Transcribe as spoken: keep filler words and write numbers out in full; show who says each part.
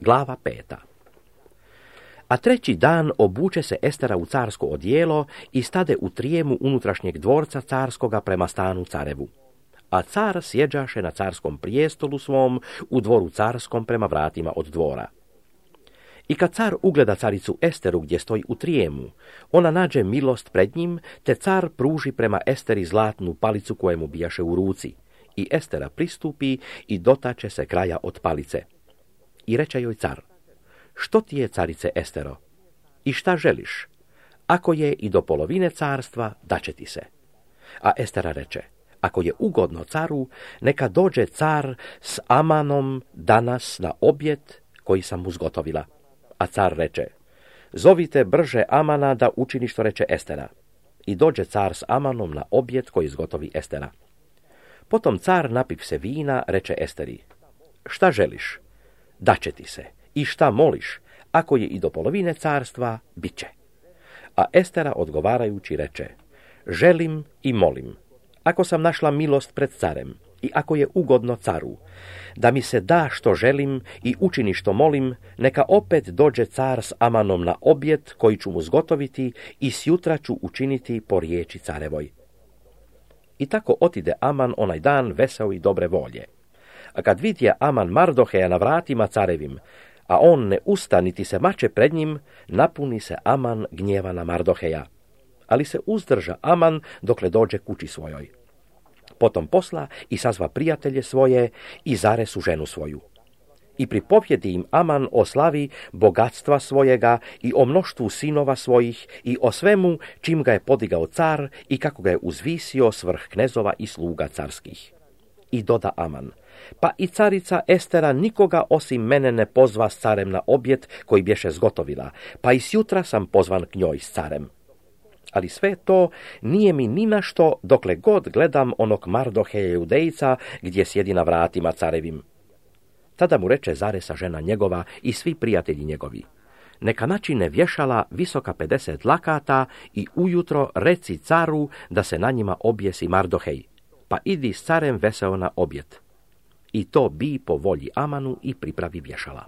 Speaker 1: Glava peta. A treći dan obuče se Estera u carsko odijelo i stade u trijemu unutrašnjeg dvorca carskoga prema stanu carevu. A car sjeđaše na carskom prijestolu svom u dvoru carskom prema vratima od dvora. I kad car ugleda caricu Esteru gdje stoji u trijemu, ona nađe milost pred njim, te car pruži prema Esteri zlatnu palicu kojemu bijaše u ruci. I Estera pristupi i dotače se kraja od palice. I reče joj car: što ti je, carice Estero? I šta želiš? Ako je i do polovine carstva, daće ti se. A Estera reče: ako je ugodno caru, neka dođe car s Amanom danas na objet koji sam mu zgotovila. A car reče: zovite brže Amana da učini što reče Estera. I dođe car s Amanom na objet koji zgotovi Estera. Potom car, napiv se vina, reče Esteri: šta želiš? Daće ti se. I šta moliš? Ako je i do polovine carstva, bit će. A Estera odgovarajući reče: želim i molim, ako sam našla milost pred carem i ako je ugodno caru, da mi se da što želim i učini što molim, neka opet dođe car s Amanom na objet koji ću mu zgotoviti i sjutra ću učiniti po riječi carevoj. I tako otide Aman onaj dan veseo i dobre volje. A kad vidje Aman Mardoheja na vratima carevim, a on ne usta niti se mače pred njim, napuni se Aman gnjeva na Mardoheja. Ali se uzdrža Aman dokle dođe kući svojoj. Potom posla i sazva prijatelje svoje i zaresu ženu svoju. I pripovjedi im Aman o slavi bogatstva svojega i o mnoštvu sinova svojih i o svemu čim ga je podigao car i kako ga je uzvisio svrh knezova i sluga carskih. I doda Aman: pa i carica Estera nikoga osim mene ne pozva s carem na objet koji bješe zgotovila, pa i sjutra sam pozvan k njoj s carem. Ali sve to nije mi ni na što dokle god gledam onog Mardoheja Judejca gdje sjedi na vratima carevim. Tada mu reče Zaresa žena njegova i svi prijatelji njegovi: neka načine vješala visoka pedeset lakata i ujutro reci caru da se na njima objesi Mardohej, pa idi s carem veseo na objet. I to bi po volji Amanu i pripravi vješala.